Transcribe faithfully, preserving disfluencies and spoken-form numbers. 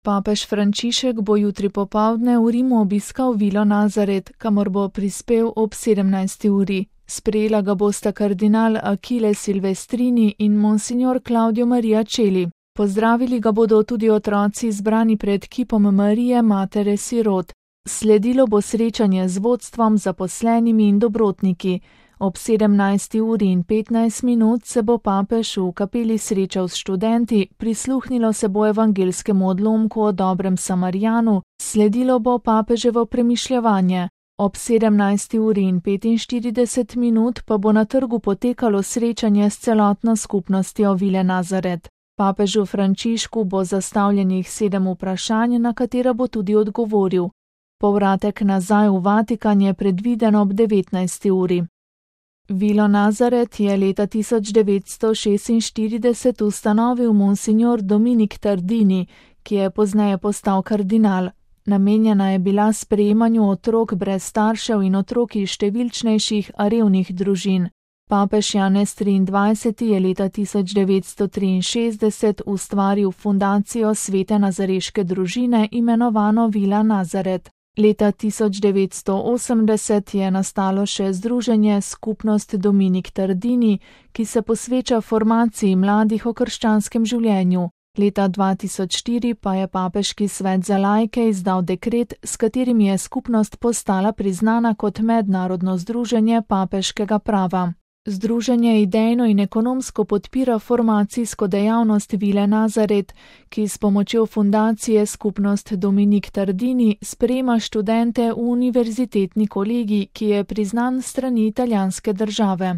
Papež Frančišek bo jutri popoldne v Rimu obiskal Vilo Nazaret, kamor bo prispel ob sedemnajsti uri. Sprejela ga bosta kardinal Achille Silvestrini in monsignor Claudio Maria Celli. Pozdravili ga bodo tudi otroci zbrani pred kipom Marije, matere sirot. Sledilo bo srečanje z vodstvom, zaposlenimi in dobrotniki. Ob sedemnajsti uri in petnajst minut se bo papež v kapeli srečal s študenti, prisluhnilo se bo evangelskemu odlomku o dobrem Samarijanu, sledilo bo papeževo premišljevanje. Ob sedemnajsti uri in petinštirideset minut pa bo na trgu potekalo srečanje s celotno skupnostjo Vile Nazaret. Papežu Frančišku bo zastavljenih sedem vprašanj, na katera bo tudi odgovoril. Povratek nazaj v Vatikan je predviden ob devetnajsti uri. Vilo Nazaret je leta tisoč devetsto šestinštirideset ustanovil monsignor Dominik Tardini, ki je pozneje postal kardinal. Namenjena je bila sprejemanju otrok brez staršev in otrok iz številčnejših, a revnih družin. Papež Janez triindvajseti je leta tisoč devetsto triinšestdeset ustvaril fundacijo Svete nazareške družine, imenovano Vila Nazaret. Leta tisoč devetsto osemdeset je nastalo še združenje Skupnost Dominik Tardini, ki se posveča formaciji mladih o krščanskem življenju. Leta dva tisoč štiri pa je Papeški svet za laike izdal dekret, s katerim je skupnost postala priznana kot mednarodno združenje papeškega prava. Združenje idejno in ekonomsko podpira formacijsko dejavnost Vile Nazaret, ki s pomočjo fundacije Skupnost Dominik Tardini sprejema študente v univerzitetni kolegij, ki je priznan s strani italijanske države.